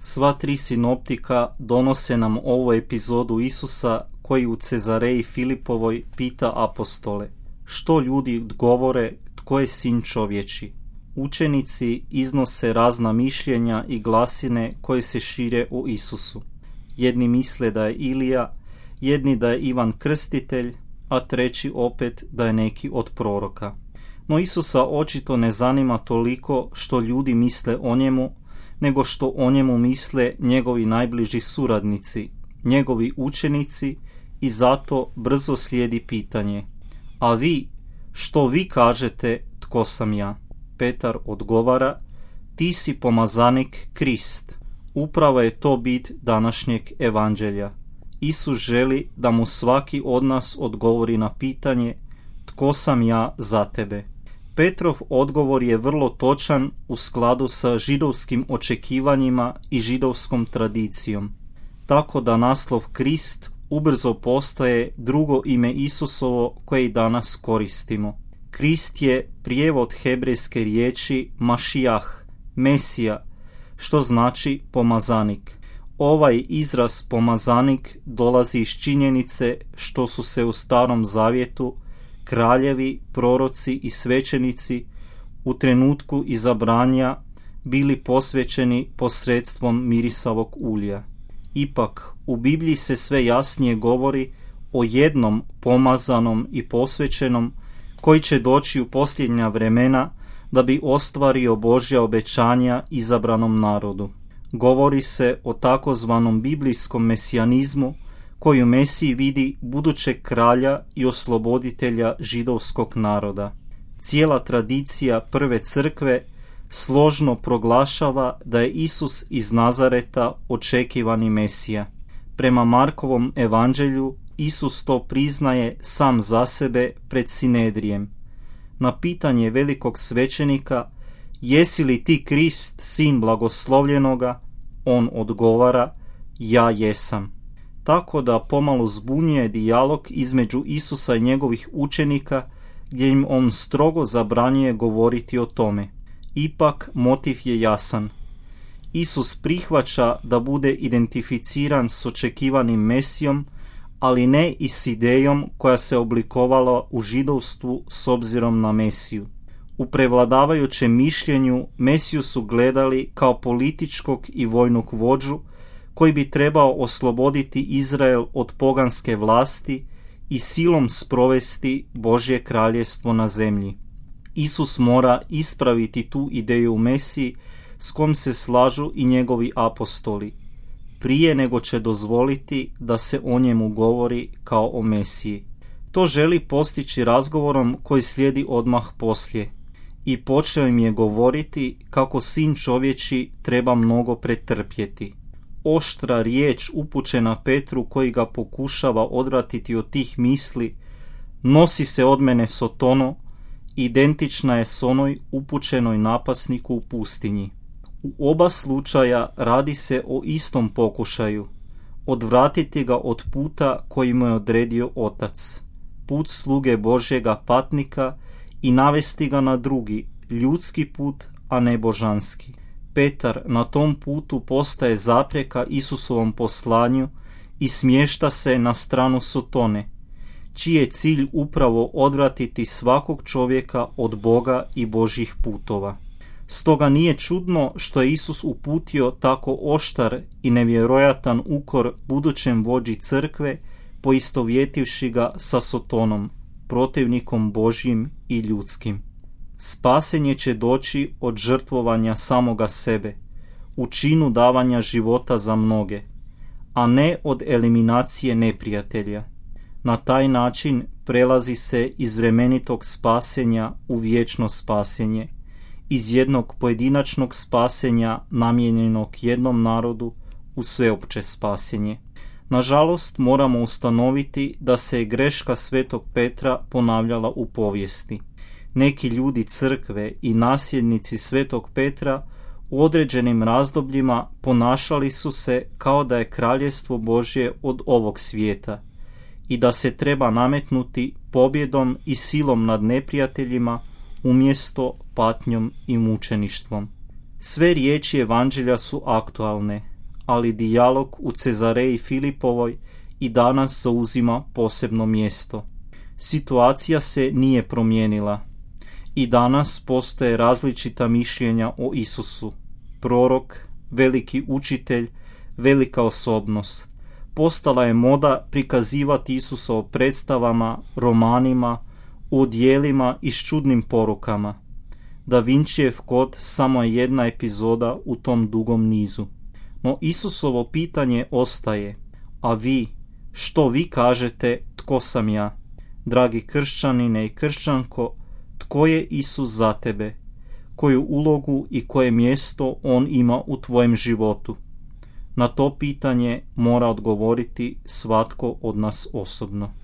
Sva tri sinoptika donose nam ovu epizodu Isusa koji u Cezareji Filipovoj pita apostole: što ljudi govore, tko je sin čovječi? Učenici iznose razna mišljenja i glasine koje se šire o Isusu. Jedni misle da je Ilija, jedni da je Ivan Krstitelj, a treći opet da je neki od proroka. No Isusa očito ne zanima toliko što ljudi misle o njemu, nego što o njemu misle njegovi najbliži suradnici, njegovi učenici, i zato brzo slijedi pitanje: a vi, što vi kažete, tko sam ja? Petar odgovara: ti si pomazanik Krist. Upravo je to bit današnjeg evanđelja. Isus želi da mu svaki od nas odgovori na pitanje: tko sam ja za tebe? Petrov odgovor je vrlo točan u skladu sa židovskim očekivanjima i židovskom tradicijom, tako da naslov Krist ubrzo postaje drugo ime Isusovo koje i danas koristimo. Krist je prijevod hebrejske riječi Mašijah, Mesija, što znači pomazanik. Ovaj izraz pomazanik dolazi iz činjenice što su se u Starom Zavjetu kraljevi, proroci i svećenici u trenutku izabranja bili posvećeni posredstvom mirisavog ulja. Ipak, u Bibliji se sve jasnije govori o jednom pomazanom i posvećenom koji će doći u posljednja vremena da bi ostvario Božja obećanja izabranom narodu. Govori se o takozvanom biblijskom mesijanizmu koji u Mesiji vidi budućeg kralja i osloboditelja židovskog naroda. Cijela tradicija prve crkve složno proglašava da je Isus iz Nazareta očekivani Mesija. Prema Markovom evanđelju Isus to priznaje sam za sebe pred Sinedrijem. Na pitanje velikog svećenika: jesi li ti Krist, sin blagoslovljenoga? On odgovara: ja jesam. Tako da pomalo zbunjuje dijalog između Isusa i njegovih učenika, gdje im on strogo zabranjuje govoriti o tome. Ipak motiv je jasan. Isus prihvaća da bude identificiran s očekivanim Mesijom, ali ne i s idejom koja se oblikovala u židovstvu s obzirom na Mesiju. U prevladavajućem mišljenju Mesiju su gledali kao političkog i vojnog vođu koji bi trebao osloboditi Izrael od poganske vlasti i silom sprovesti Božje kraljevstvo na zemlji. Isus mora ispraviti tu ideju u Mesiji s kojom se slažu i njegovi apostoli, prije nego će dozvoliti da se o njemu govori kao o Mesiji. To želi postići razgovorom koji slijedi odmah poslije. I počeo im je govoriti kako sin čovječi treba mnogo pretrpjeti. Oštra riječ upućena Petru koji ga pokušava odvratiti od tih misli: nosi se od mene Sotono, identična je s onoj upućenoj napasniku u pustinji. U oba slučaja radi se o istom pokušaju: odvratiti ga od puta koji mu je odredio Otac, put sluge Božjega patnika, i navesti ga na drugi, ljudski put, a ne božanski. Petar na tom putu postaje zapreka Isusovom poslanju i smješta se na stranu Sotone, čiji je cilj upravo odvratiti svakog čovjeka od Boga i Božjih putova. Stoga nije čudno što je Isus uputio tako oštar i nevjerojatan ukor budućem vođi crkve, poistovjetivši ga sa Sotonom, protivnikom Božjim i ljudskim. Spasenje će doći od žrtvovanja samoga sebe, u činu davanja života za mnoge, a ne od eliminacije neprijatelja. Na taj način prelazi se iz vremenitog spasenja u vječno spasenje, iz jednog pojedinačnog spasenja namijenjenog jednom narodu u sveopće spasenje. Nažalost, moramo ustanoviti da se je greška svetog Petra ponavljala u povijesti. Neki ljudi crkve i nasljednici svetog Petra u određenim razdobljima ponašali su se kao da je kraljevstvo Božje od ovog svijeta i da se treba nametnuti pobjedom i silom nad neprijateljima umjesto patnjom i mučeništvom. Sve riječi evanđelja su aktualne, ali dijalog u Cezareji Filipovoj i danas zauzima posebno mjesto. Situacija se nije promijenila. I danas postoje različita mišljenja o Isusu. Prorok, veliki učitelj, velika osobnost. Postala je moda prikazivati Isusa u predstavama, romanima, u djelima i s čudnim porukama. Da Vincijev kod samo je jedna epizoda u tom dugom nizu. No Isusovo pitanje ostaje, a vi, što vi kažete, tko sam ja? Dragi kršćanine i kršćanko, tko je Isus za tebe? Koju ulogu i koje mjesto on ima u tvojem životu? Na to pitanje mora odgovoriti svatko od nas osobno.